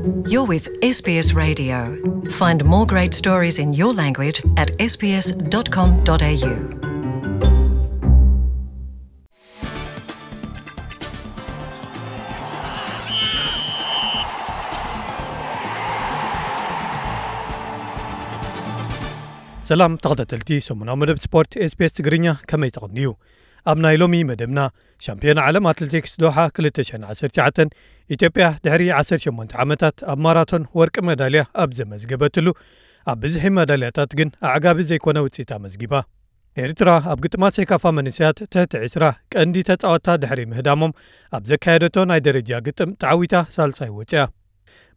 You're with S B S Radio. Find more great stories in your language at S B S dot com dot A U. ሰላም ተኸታተልቲ ሰሙናዊ መደብ ስፖርት S B S ትግርኛ፣ ከመይ ተቐንዩ? ኣብ ናይ ሎሚ መደብና፣ ሻምፒዮን ዓለም ኣትሌቲክስ ዶሓ ክልተ ሽሕን ዓሰርተ ትሽዓተን፣ ኢትዮጵያ ድሕሪ ዓሰርተ ሸሞንተ ዓመታት ኣብ ማራቶን ወርቂ መዳልያ ኣብ ዘመዝገበትሉ፣ ኣብ ብዝሒ መዳልያታት ግን ኣዕጋቢ ዘይኮነ ውፅኢት ኣመዝጊባ። ኤርትራ ኣብ ግጥማት ሴካፋ መንእሰያት ትሕቲ ዕስራ ቀንዲ ተጻወትታ ድሕሪ ምህዳሞም፣ ኣብ ዘካየደቶ ናይ ደረጃ ግጥም ተዓዊታ ሳልሳይ ወጽያ።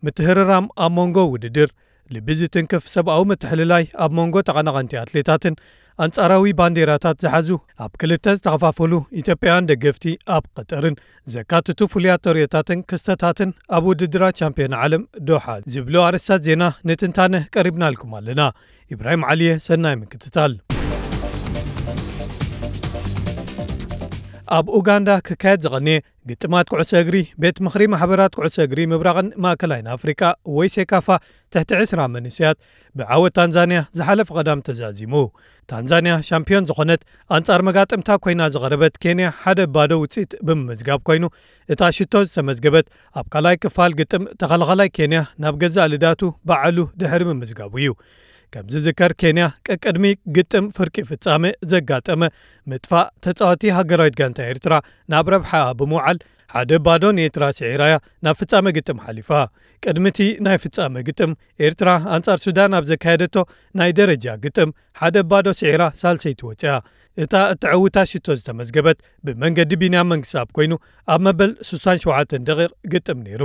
ምትህርራም ኣብ መንጎ ውድድር፣ ልቢ ዝትንክፍ ሰብኣዊ ምትሕልላይ ኣብ መንጎ ተቐናቐንቲ ኣትሌታትን፣ ኣንጻራዊ ባንዴራታት ዝሓዙ ኣብ ክልተ ዝተኸፋፈሉ ኢትዮጵያውያን ደገፍቲ ኣብ ቀጠርን ዘካትቱ ፍሉያት ተርእዮታትን ክስተታትን ኣብ ውድድራት ቻምፒዮን ዓለም ዶሓ ዝብሉ ኣርእስታት ዜና ንትንታነ ቀሪብናልኩም ኣለና። ኢብራሂም ዓሊየ፣ ሰናይ ምክትታል። ኣብ ኡጋንዳ ክካየድ ዝቐንየ ግጥማት ኩዕሶ እግሪ ቤት ምኽሪ ማሕበራት ኩዕሶ እግሪ ምብራቕን ማእከላይን ኣፍሪቃ ወይ ሴካፋ ትሕቲ ዕስራ መንእሰያት ብዓወት ታንዛንያ ዝሓለፈ ቀዳም ተዛዚሙ። ታንዛንያ ሻምፒዮን ዝኾነት፣ ኣንጻር መጋጥምታ ኮይና ዝቐረበት ኬንያ ሓደ ባዶ ውጽኢት ብምምዝጋብ ኮይኑ፣ እታ ሽቶ ዝተመዝገበት ኣብ ካልኣይ ክፋል ግጥም ተኸላኻላይ ኬንያ ናብ ገዛእ ልዳቱ ባዕሉ ድሕሪ ምምዝጋቡ እዩ። ከም ዝዝከር፣ ኬንያ ቀቅድሚ ግጥም ፍርቂ ፍጻመ ዘጋጠመ ምጥፋእ ተጻዋቲ ሃገራዊት ጋንታ ኤርትራ ናብ ረብሓኣ ብምውዓል ሓደ ባዶ ንኤርትራ ስዒራያ ናብ ፍጻመ ግጥም ሓሊፋ። ቅድሚ እቲ ናይ ፍጻመ ግጥም፣ ኤርትራ ኣንጻር ሱዳን ኣብ ዘካየደቶ ናይ ደረጃ ግጥም ሓደ ባዶ ስዒራ ሳልሰይቲ ወጽያ። እታ እተዕውታ ሽቶ ዝተመዝገበት ብመንገዲ ቢንያም መንግስኣብ ኮይኑ፣ ኣብ መበል ስሳን ሸውዓተን ደቂቕ ግጥም ነይሩ።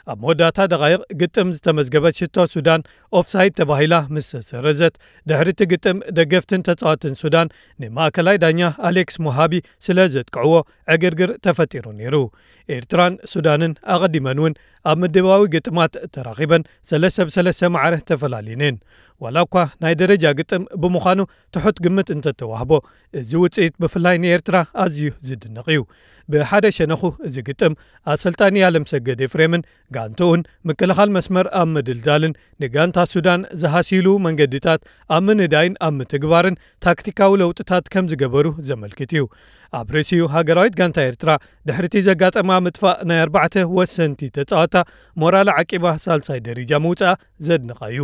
ኣብ መወዳእታ ደቓይቕ ግጥም ዝተመዝገበት ሽቶ ሱዳን ኦፍሳይድ ተባሂላ ምስ ተሰረዘት፣ ድሕሪ እቲ ግጥም ደገፍትን ተጻወትን ሱዳን ንማእከላይ ዳኛ ኣሌክስ ሞሃቢ ስለ ዘጥቅዕዎ ዕግርግር ተፈጢሩ ነይሩ። ኤርትራን ሱዳንን ኣቐዲመን እውን ኣብ ምድባዊ ግጥማት ተራኺበን ሰለስተ ብሰለስተ ማዕረ ተፈላልየን እየን። ዋላ እኳ ናይ ደረጃ ግጥም ብምዃኑ ትሑት ግምት እንተተዋህቦ፣ እዚ ውጽኢት ብፍላይ ንኤርትራ ኣዝዩ ዝድነቕ እዩ። ብሓደ ሸነኹ፣ እዚ ግጥም ኣሰልጣኒ ኣለምሰገድ ኤፍሬምን ጋንትኡን ምክልኻል መስመር ኣብ ምድልዳልን ንጋንታ ሱዳን ዝሃስይሉ መንገድታት ኣብ ምንዳይን ኣብ ምትግባርን ታክቲካዊ ለውጥታት ከም ዝገበሩ ዘመልክት እዩ። ኣብ ርእሲኡ፣ ሃገራዊት ጋንታ ኤርትራ ድሕሪቲ ዘጋጠማ ምጥፋእ ናይ ኣርባዕተ ወሰንቲ ተጻወታ ሞራላ ዓቂባ ሳልሳይ ደረጃ ምውጻኣ ዘድንቓ እዩ።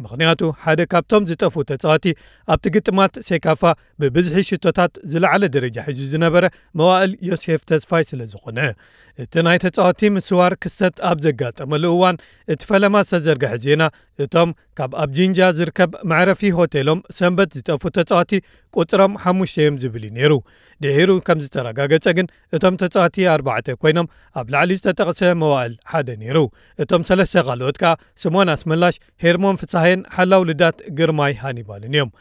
ምኽንያቱ፣ ሓደ ካብቶም ዝጠፍኡ ተጻወቲ ኣብቲ ግጥማት ሴካፋ ብብዝሒ ሽቶታት ዝለዓለ ደረጃ ሒዙ ዝነበረ መዋእል ዮሴፍ ተስፋይ ስለ ዝኾነ። እቲ ናይ ተጻወቲ ምስዋር ክስተት ኣብ ዘጋጠመሉ እዋን፣ እቲ ፈለማ ዝተዘርግሐ ዜና፣ እቶም ካብ ኣብ ጂንጃ ዝርከብ መዕረፊ ሆቴሎም ሰንበት ዝጠፍኡ ተጻወቲ ቁጽሮም ሓሙሽተ እዮም ዝብል እዩ ነይሩ። ድሒሩ ከም ዝተረጋገጸ ግን፣ እቶም ተጻወቲ ኣርባዕተ ኮይኖም፣ ኣብ ላዕሊ ዝተጠቕሰ መዋእል ሓደ ነይሩ። እቶም ሰለስተ ካልኦት ከኣ ስምኦን ኣስመላሽ፣ ሄርሞን ፍስሃየን ሓላው ልዳት ግርማይ ሃኒባልን እዮም።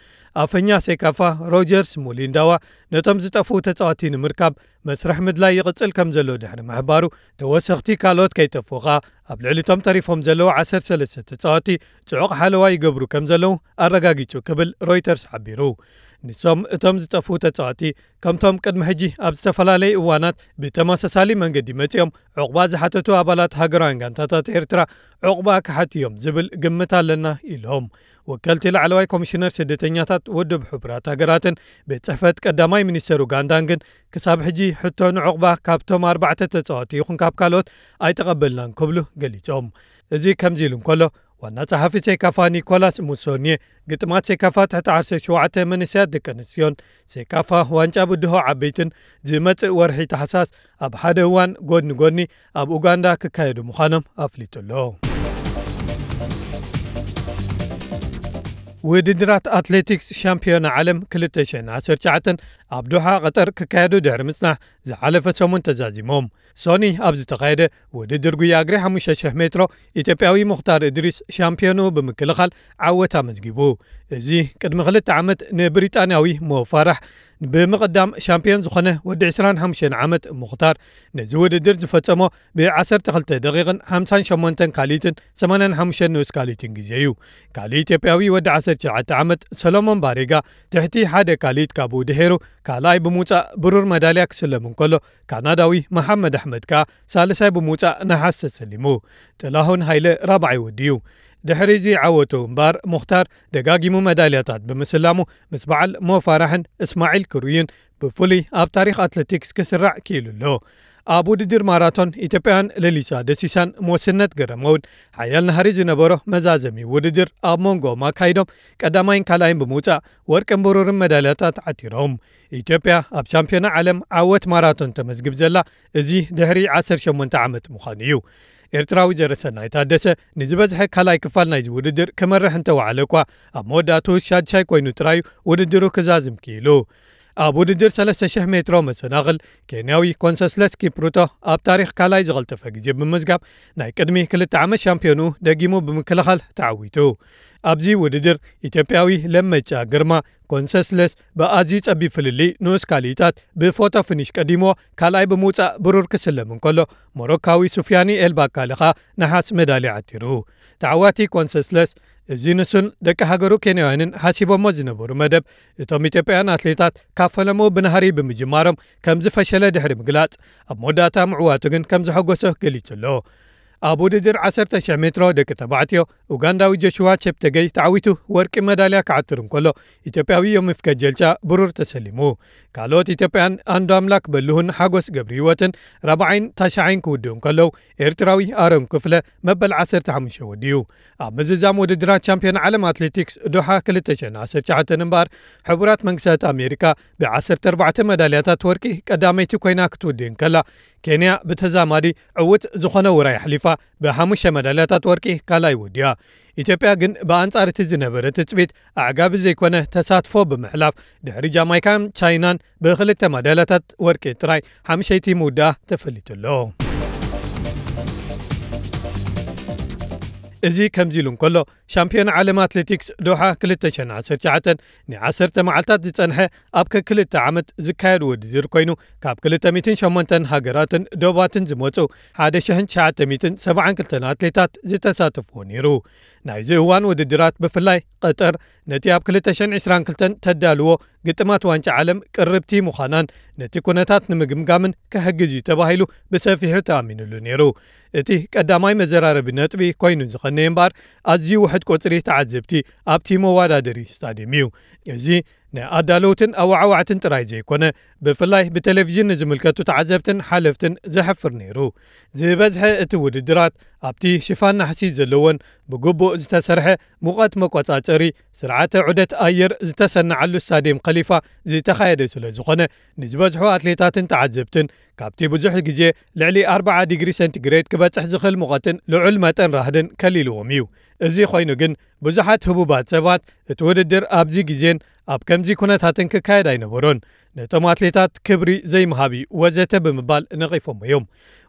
ኣፈኛ ሴካፋ ሮጀርስ ሙሊንዳዋ ነቶም ዝጠፍኡ ተጻወቲ ንምርካብ መስርሕ ምድላይ ይቕጽል ከም ዘሎ ድሕሪ ምሕባሩ፣ ተወሰኽቲ ካልኦት ከይጠፍኡ ከኣ ኣብ ልዕሊ እቶም ተሪፎም ዘለዉ ዓሰርተ ሰለስተ ተጻወቲ ጽዑቕ ሓለዋ ይገብሩ ከም ዘለዉ ኣረጋጊጹ ክብል ሮይተርስ ሓቢሩ። ንሶም እቶም ዝጠፍኡ ተጻወቲ ከምቶም ቅድሚ ሕጂ ኣብ ዝተፈላለዩ እዋናት ብተመሳሳሊ መንገዲ መጺኦም ዑቕባ ዝሓተቱ ኣባላት ሃገራውያን ጋንታታት ኤርትራ ዑቕባ ክሓቱ እዮም ዝብል ግምት ኣለና ኢሎም። ወከልቲ ላዕለዋይ ኮሚሽነር ስደተኛታት ውድብ ሕቡራት ሃገራትን ቤት ጽሕፈት ቀዳማይ ሚኒስተር ኡጋንዳን ግን ክሳብ ሕጂ ሕቶ ንዑቕባ ካብቶም ኣርባዕተ ተጻወቲ ይኹን ካብ ካልኦት ኣይተቐበልናን ክብሉ ገሊጾም። እዚ ከምዚ ኢሉ እንከሎ፣ ዋና ጸሓፊ ሴካፋ ኒኮላስ ሙሶኒየ፣ ግጥማት ሴካፋ ትሕቲ ዓሰርተ ሸውዓተ መንእሰያት ደቂ ኣንስትዮን ሴካፋ ዋንጫ ብድሆ ዓበይትን ዝመጽእ ወርሒ ታሕሳስ ኣብ ሓደ እዋን ጎድኒ ጎድኒ ኣብ ኡጋንዳ ክካየዱ ምዃኖም ኣፍሊጡ ኣሎ። ውድድራት ኣትሌቲክስ ሻምፒዮና ዓለም ክልተ ሽሕን ዓሰርተ ትሽዓተን ኣብ ዶሓ ቀጠር ክካየዱ ድሕሪ ምጽናሕ ዝሓለፈ ሰሙን ተዛዚሞም። ሶኒ ኣብ ዝተኻየደ ውድድር ጉያ እግሪ ሓሙሽተ ሽሕ ሜትሮ፣ ኢትዮጵያዊ ሙኽታር እድሪስ ሻምፒዮንኡ ብምክልኻል ዓወት ኣመዝጊቡ። እዚ ቅድሚ ክልተ ዓመት ንብሪጣንያዊ ሞ ፋራሕ ብምቕዳም ሻምፒዮን ዝኾነ ወዲ ዕስራን ሓሙሽተን ዓመት ሙኽታር፣ ነዚ ውድድር ዝፈጸሞ ብ ዓሰርተ ክልተ ደቂቕን ሓምሳን ሸሞንተን ካልኢትን ሰማንያን ሓሙሽተን ንኡስ ካልኢትን ግዜ እዩ። ካልእ ኢትዮጵያዊ ወዲ ዓሰርተ ትሽዓተ ዓመት ሰሎሞን ባሬጋ፣ ትሕቲ ሓደ ካልኢት ካብኡ ድሒሩ ካልኣይ ብምውጻእ ብሩር መዳልያ ክስለም እንከሎ፣ ካናዳዊ መሓመድ ኣሕመድ ከኣ ሳልሳይ ብምውጻእ ነሓስ ተሰሊሙ። ጥላሁን ሃይለ ራብዓይ ወዲዩ። ድሕሪ እዚ ዓወቱ እምበኣር፣ ሙኽታር ደጋጊሙ መዳልያታት ብምስላሙ፣ ምስ በዓል ሞ ፋራሕን እስማዒል ክሩይን ብፍሉይ ኣብ ታሪኽ ኣትሌቲክስ ክስራዕ ክኢሉ ኣሎ። ኣብ ውድድር ማራቶን፣ ኢትዮጵያውያን ለሊሳ ደሲሳን ሞስነት ገረመውን ሓያል ናህሪ ዝነበሮ መዛዘሚ ውድድር ኣብ መንጎኦም ኣካይዶም፣ ቀዳማይን ካልኣይን ብምውጻእ ወርቅን ብሩርን መዳልያታት ዓቲሮም። ኢትዮጵያ ኣብ ሻምፒዮና ዓለም ዓወት ማራቶን ተመዝግብ ዘላ፣ እዚ ድሕሪ ዓሰርተ ሸሞንተ ዓመት ምዃኑ እዩ። ኤርትራዊ ዘረሰናይ ታደሰ ንዝበዝሐ ካልኣይ ክፋል ናይዚ ውድድር ክመርሕ እንተወዓለ እኳ፣ ኣብ መወዳእቱ ሻድሻይ ኮይኑ ጥራዩ ውድድሩ ክዛዝም ክኢሉ። ኣብ ውድድር ሰለስተ ሽሕ ሜትሮ መሰናኽል፣ ኬንያዊ ኮንሰስለስ ኪፕሩቶ ኣብ ታሪኽ ካልኣይ ዝቐልጠፈ ግዜ ብምምዝጋብ፣ ናይ ቅድሚ ክልተ ዓመት ሻምፒዮኑ ደጊሙ ብምክልኻል ተዓዊቱ። ኣብዚ ውድድር፣ ኢትዮጵያዊ ለመጫ ግርማ ኮንሰስለስ ብኣዝዩ ጸቢብ ፍልልይ ንኡስ ካልኢታት ብፎቶ ፊኒሽ ቀዲምዎ ካልኣይ ብምውጻእ ብሩር ክስለም እንከሎ፣ ሞሮካዊ ሱፍያኒ ኤልባካሊ ኸኣ ነሓስ መዳልያ ዓቲሩ። ተዓዋቲ ኮንሰስለስ፣ እዚ ንሱን ደቂ ሃገሩ ኬንያውያንን ሓሲቦሞ ዝነበሩ መደብ፣ እቶም ኢትዮጵያውያን ኣትሌታት ካብ ፈለምኡ ብናህሪ ብምጅማሮም ከም ዝፈሸለ ድሕሪ ምግላጽ፣ ኣብ መወዳእታ ምዕዋቱ ግን ከም ዘሐጎሶ ገሊጹ ኣሎ። ኣብ ውድድር ዓሰርተ ሽሕ ሜትሮ ደቂ ተባዕትዮ፣ ኡጋንዳዊ ጆሽዋ ቸፕተገይ ተዓዊቱ ወርቂ መዳልያ ክዓትር እንከሎ፣ ኢትዮጵያዊ ዮሚፍ ከጀልቻ ብሩር ተሰሊሙ። ካልኦት ኢትዮጵያን ኣንዶ ኣምላክ በልሁን ሓጎስ ገብረ ህይወትን ራብዓይን ታሽዓይን ክውድኡ እንከለዉ፣ ኤርትራዊ ኣሮን ክፍለ መበል ዓሰርተ ሓሙሽተ ወዲኡ። ኣብ ምዝዛም ውድድራት ቻምፒዮን ዓለም ኣትሌቲክስ ዶሓ ክልተ ሽሕን ዓሰርተ ትሽዓተን እምበኣር፣ ሕቡራት መንግስታት ኣሜሪካ ብዓሰርተ ኣርባዕተ መዳልያታት ወርቂ ቀዳመይቲ ኮይና ክትውድእ እንከላ፣ ኬንያ ብተዛማዲ ዕዉት ዝኾነ ውራይ ኣሕሊፋ ብሓሙሽተ መዳልያታት ወርቂ ካልኣይ ወዲያ። ኢትዮጵያ ግን ብኣንጻር እቲ ዝነበረ ትጽቢት ኣዕጋቢ ዘይኮነ ተሳትፎ ብምሕላፍ፣ ድሕሪ ጃማይካን ቻይናን ብክልተ መዳልያታት ወርቂ ጥራይ ሓምሸይቲ ምውዳኣ ተፈሊጡ ኣሎ። እዚ ከምዚ ኢሉ እንከሎ፣ ሻምፒዮን ዓለም ኣትሌቲክስ ዶሓ ክልተ ሽሕን ዓሰርተ ትሽዓተን ንዓሰርተ መዓልታት ዝጸንሐ ኣብ ከክልተ ዓመት ዝካየድ ውድድር ኮይኑ፣ ካብ ክልተ ሚእትን ሸሞንተን ሃገራትን ዶባትን ዝመጹ ሓደ ሽሕን ትሽዓተ ሚእትን ሰብዓን ክልተን ኣትሌታት ዝተሳተፍዎ ነይሩ። ናይዚ እዋን ውድድራት ብፍላይ ቀጠር ነቲ ኣብ ክልተ ሽሕን ዕስራን ክልተን ተዳልዎ ግጥማት ዋንጫ ዓለም ቅርብቲ ምዃናን ነቲ ኩነታት ንምግምጋምን ክሕግዝ እዩ ተባሂሉ ብሰፊሑ ተኣሚኑሉ ነይሩ። እቲ ቀዳማይ መዘራረቢ ነጥቢ ኮይኑ ዝቐነየ እምበኣር፣ ኣዝዩ ውሑድ ቁጽሪ ተዓዘብቲ ኣብቲ መወዳደሪ ስታድየም እዩ። እዚ ንኣዳለውትን ኣወዓዋዕትን ጥራይ ዘይኮነ፣ ብፍላይ ብቴሌቪዥን ንዝምልከቱ ተዓዘብትን ሓለፍትን ዘሕፍር ነይሩ። ዝበዝሐ እቲ ውድድራት ኣብቲ ሽፋን ናሕሲ ዘለዎን ብግቡእ ዝተሰርሐ ሙቐት መቆጻጸሪ ስርዓተ ዑደት ኣየር ዝተሰናዓሉ ስታድየም ከሊፋ ዝተኻየደ ስለ ዝኾነ፣ ንዝበዝሑ ኣትሌታትን ተዓዘብትን ካብቲ ብዙሕ ግዜ ልዕሊ ኣርብዓ ዲግሪ ሴንቲግሬድ ክበጽሕ ዝኽእል ሙቐትን ልዑል መጠን ራህድን ከሊልዎም እዩ። እዚ ኮይኑ ግን፣ ብዙሓት ህቡባት ሰባት እቲ ውድድር ኣብዚ ግዜን ኣብ ከምዚ ኩነታትን ክካየድ ኣይነበሮን፣ ነቶም ኣትሌታት ክብሪ ዘይምሃብ እዩ ወዘተ ብምባል ነቒፎም እዮም።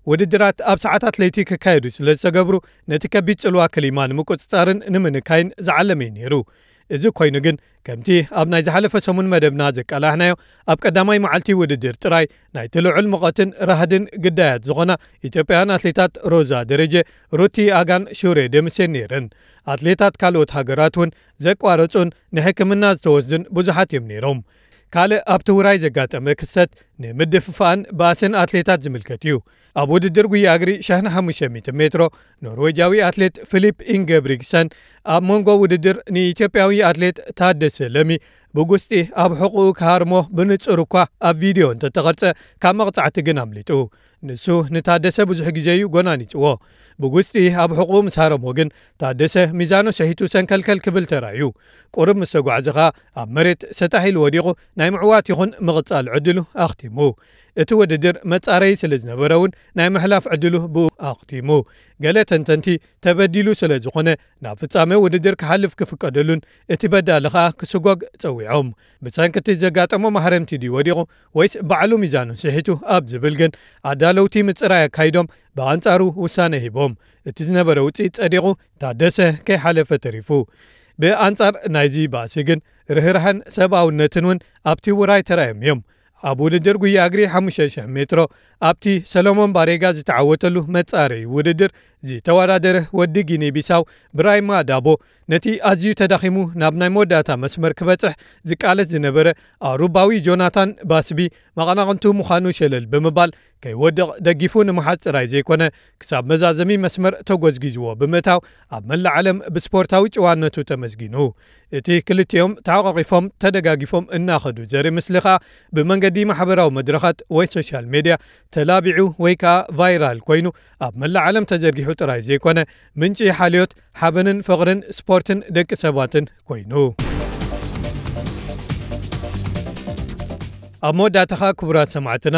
ውድድራት ኣብ ሰዓታት ለይቲ ክካየዱ ስለ ዝተገብሩ፣ ነቲ ከቢድ ጽልዋ ክሊማ ንምቁጽጻርን ንምንካይን ዝዓለመ እዩ ነይሩ። እዚ ኮይኑ ግን፣ ከምቲ ኣብ ናይ ዝሓለፈ ሰሙን መደብና ዘቃላሕናዮ፣ ኣብ ቀዳማይ መዓልቲ ውድድር ጥራይ ናይቲ ልዑል ሙቐትን ራህድን ግዳያት ዝኾና ኢትዮጵያውያን ኣትሌታት ሮዛ ደረጀ፣ ሩቲ ኣጋን ሹሬ ደምሴን ነይረን። ኣትሌታት ካልኦት ሃገራት እውን ዘቋረጹን ንሕክምና ዝተወስዱን ብዙሓት እዮም ነይሮም። ካልእ ኣብቲ ውራይ ዘጋጠመ ክስተት ንምድፍፋእን ባእስን ኣትሌታት ዝምልከት እዩ። ኣብ ውድድር ጉያ እግሪ ሽሕን ሓሙሽተ ሚእትን ሜትሮ፣ ኖርዌጃዊ ኣትሌት ፊሊፕ ኢንገብሪግሰን ኣብ መንጎ ውድድር ንኢትዮጵያዊ ኣትሌት ታደሰ ለሚ ብጉስጢ ኣብ ሕቑኡ ክሃርሞ ብንጹር እኳ ኣብ ቪድዮ እንተተቐርጸ፣ ካብ መቕጻዕቲ ግን ኣምሊጡ። ንሱ ንታደሰ ብዙሕ ግዜ እዩ ጎናኒጽዎ። ብጉስጢ ኣብ ሕቑኡ ምስ ሃረሞ ግን፣ ታደሰ ሚዛኑ ስሒቱ ሰንከልከል ክብል ተራእዩ። ቁሩብ ምስ ተጓዕዘ ኸኣ፣ ኣብ መሬት ሰጣሕ ኢሉ ወዲቑ ናይ ምዕዋት ይኹን ምቕጻል ዕድሉ ኣኽቲሙ። እቲ ውድድር መጻረዪ ስለ ዝነበረ እውን፣ ናይ ምሕላፍ ዕድሉ ብኡ ኣኽቲሙ። ገለ ተንተንቲ፣ ተበዲሉ ስለ ዝኾነ፣ ናብ ፍጻመ ውድድር ክሓልፍ ክፍቀደሉን እቲ በዳሊ ኸኣ ክስጎግ ጸዊዖም። ብሰንኪ እቲ ዘጋጠሞ ማህረምቲ ድዩ ወዲቑ፣ ወይስ ባዕሉ ሚዛኑ ስሒቱ ኣብ ዝብል ግን፣ ኣዳለውቲ ምጽራይ ኣካይዶም ብኣንጻሩ ውሳነ ሂቦም። እቲ ዝነበረ ውጽኢት ጸዲቑ፣ ታደሰ ከይሓለፈ ተሪፉ። ብኣንጻር ናይዚ ባእሲ ግን፣ ርህራሀን ሰብኣውነትን እውን ኣብቲ ውራይ ተራእዮም እዮም። ኣብ ውድድር ጉያ እግሪ ሓሙሽተ ሽሕ ሜትሮ ኣብቲ ሰሎሞን ባሬጋ ዝተዓወተሉ መጻረዪ ውድድር ዝተወዳደረ ወዲ ጊኒ ቢሳው ብራይማ ዳቦ ነቲ ኣዝዩ ተዳኺሙ ናብ ናይ መወዳእታ መስመር ክበጽሕ ዝቃለስ ዝነበረ ኣውሮባዊ ጆናታን ባስቢ መቐናቕንቱ ምዃኑ ሸለል ብምባል ከይወድቕ ደጊፉ ንምሓዝ ጥራይ ዘይኮነ ክሳብ መዛዘሚ መስመር ተጎዝጊዝዎ ብምእታው ኣብ መላእ ዓለም ብስፖርታዊ ጭዋነቱ ተመስጊኑ። እቲ ክልቲኦም ተሓቋቒፎም ተደጋጊፎም እናኸዱ ዘርኢ ምስሊ ኸኣ ብመንገዲ ማሕበራዊ መድረኻት ወይ ሶሻል ሜድያ ተላቢዑ ወይ ከኣ ቫይራል ኮይኑ ኣብ መላእ ዓለም ተዘርጊሑ ጥራይ ዘይኮነ ምንጪ ሓልዮት ሓበንን ፍቕርን ስፖርትን ደቂ ሰባትን ኮይኑ። ኣብ መወዳእታ ኸኣ ክቡራት ሰማዕትና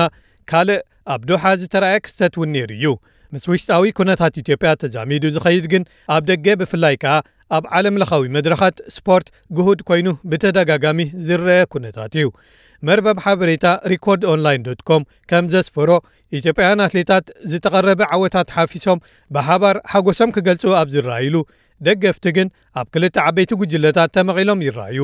ካልእ ኣብ ዶሓ ዝተራእየ ክስተት እውን ነይሩ እዩ። ምስ ውሽጣዊ ኩነታት ኢትዮጵያ ተዛሚዱ ዝኸይድ ግን ኣብ ደገ ብፍላይ ከኣ ኣብ ዓለም ለኻዊ መድረኻት ስፖርት ግሁድ ኮይኑ ብተደጋጋሚ ዝረአ ኩነታት እዩ። መርበብ ሓበሬታ ሪኮርድ ኦንላይን ዶት ኮም ከም ዘስፈሮ ኢትዮጵያውያን ኣትሌታት ዝተቐረበ ዓወታት ሓፊሶም ብሓባር ሓጎሶም ክገልጹ ኣብ ዝረኣይሉ ደገፍቲ ግን ኣብ ክልተ ዓበይቲ ጉጅለታት ተመቒሎም ይረኣዩ።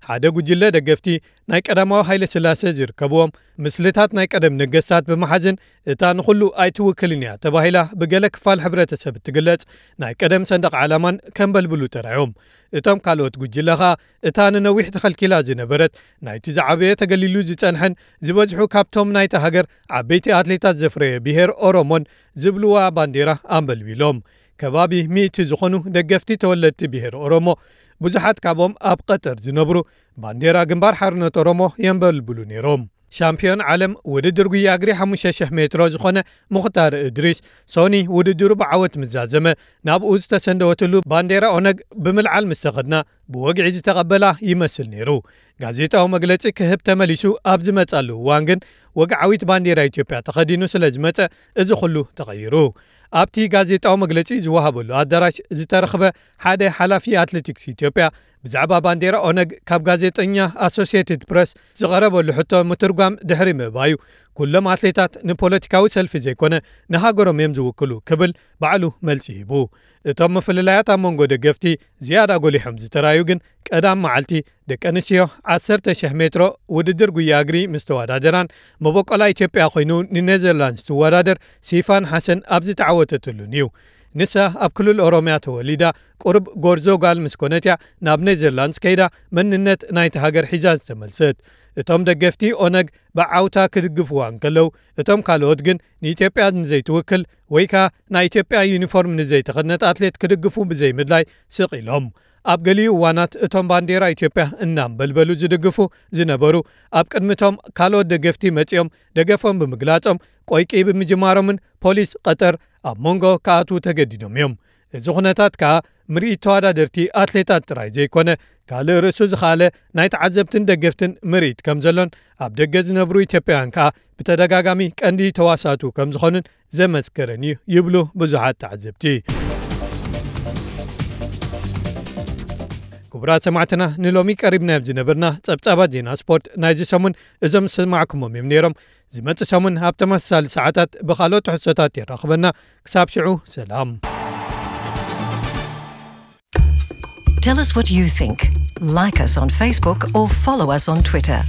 ሓደ ጉጅለ ደገፍቲ ናይ ቀዳማዊ ሃይለ ስላሴ ዝርከብዎም ምስልታት ናይ ቀደም ነገስታት ብምሓዝን እታ ንኹሉ ኣይትውክልን እያ ተባሂላ ብገለ ክፋል ሕብረተሰብ እትግለጽ ናይ ቀደም ሰንደቕ ዓላማን ከንበልብሉ ተራዮም። እቶም ካልኦት ጉጅለ ኸኣ እታ ንነዊሕ ተኸልኪላ ዝነበረት ናይቲ ዝዓበየ ተገሊሉ ዝጸንሐን ዝበዝሑ ካብቶም ናይታ ሃገር ዓበይቲ ኣትሌታት ዘፍረየ ብሄር ኦሮሞን ዝብልዋ ባንዴራ ኣንበልቢሎም። ከባቢ ሚእቲ ዝኾኑ ደገፍቲ ተወለድቲ ብሄር ኦሮሞ ብዙሓት ካብኦም ኣብ ቀጠር ዝነብሩ ባንዴራ ግንባር ሓርነት ኦሮሞ የንበልብሉ ነይሮም። ሻምፒዮን ዓለም ውድድር ጉያ እግሪ ሓሙሽተ ሽሕ ሜትሮ ዝኾነ ሙኽታር እድሪስ ሶኒ ውድድሩ ብዓወት ምስ ዛዘመ ናብኡ ዝተሰንደወትሉ ባንዴራ ኦነግ ብምልዓል ምስ ተኸድና ብወግዒ ዝተቐበላ ይመስል ነይሩ። ጋዜጣዊ መግለጺ ክህብ ተመሊሱ ኣብ ዝመጻሉ እዋን ግን ወግዓዊት ባንዴራ ኢትዮጵያ ተኸዲኑ ስለ ዝመጸ እዚ ኩሉ ተቐይሩ። ኣብቲ ጋዜጣዊ መግለጺ ዝወሃበሉ ኣዳራሽ ዝተረኽበ ሓደ ሓላፊ ኣትሌቲክስ ኢትዮጵያ ብዛዕባ ባንዴራ ኦነግ ካብ ጋዜጠኛ ኣሶሲየትድ ፕረስ ዝቐረበሉ ሕቶ ምትርጓም ድሕሪ ምእባዩ ኩሎም ኣትሌታት ንፖለቲካዊ ሰልፊ ዘይኮነ ንሃገሮም እዮም ዝውክሉ ክብል ባዕሉ መልሲ ሂቡ። እቶም ምፍልላያት ኣብ መንጎ ደገፍቲ ዝያዳ ጎሊሖም ዝተራዩ ግን ቀዳም መዓልቲ ደቂ ኣንስትዮ ዓሰርተ ሽሕ ሜትሮ ውድድር ጉያ እግሪ ምስ ተወዳደራን መበቆላ ኢትዮጵያ ኮይኑ ንኔዘርላንድስ ትወዳደር ሲፋን ሓሰን ኣብ ዝተዓወተትሉን እዩ። ንሳ ኣብ ክልል ኦሮምያ ተወሊዳ ቁሩብ ጎርዞ ጓል ምስ ኮነት እያ ናብ ኔዘርላንድስ ከይዳ መንነት ናይቲ ሃገር ሒዛ ዝተመልሰት። እቶም ደገፍቲ ኦነግ ብዓውታ ክድግፍዋ እንከለዉ እቶም ካልኦት ግን ንኢትዮጵያ ንዘይትውክል ወይ ከኣ ናይ ኢትዮጵያ ዩኒፎርም ንዘይተኸድነት ኣትሌት ክድግፉ ብዘይምድላይ ስቕ ኢሎም። ኣብ ገሊኡ እዋናት እቶም ባንዴራ ኢትዮጵያ እናንበልበሉ ዝድግፉ ዝነበሩ ኣብ ቅድሚቶም ካልኦት ደገፍቲ መጺኦም ደገፎም ብምግላጾም ቆይቂ ብምጅማሮምን ፖሊስ ቀጠር ኣብ መንጎ ክኣትዉ ተገዲዶም እዮም። እዚ ኩነታት ከኣ ምርኢት ተወዳደርቲ ኣትሌታት ጥራይ ዘይኮነ ካልእ ርእሱ ዝኸኣለ ናይ ተዓዘብትን ደገፍትን ምርኢት ከም ዘሎን ኣብ ደገ ዝነብሩ ኢትዮጵያውያን ከኣ ብተደጋጋሚ ቀንዲ ተዋሳእቱ ከም ዝኾኑን ዘመስከረን እዩ ይብሉ ብዙሓት ተዓዘብቲ። ክቡራት ሰማዕትና ንሎሚ ቀሪብናዮም ዝነበርና ጸብጻባት ዜና ስፖርት ናይዚ ሰሙን እዞም ዝሰማዕኩሞም እዮም ነይሮም። ዝመጽእ ሰሙን ኣብ ተመሳሳሊ ሰዓታት ብኻልኦት ትሕዝቶታት የራኽበና። ክሳብ ሽዑ ሰላም። Tell us what you think. Like us on Facebook or follow us on Twitter.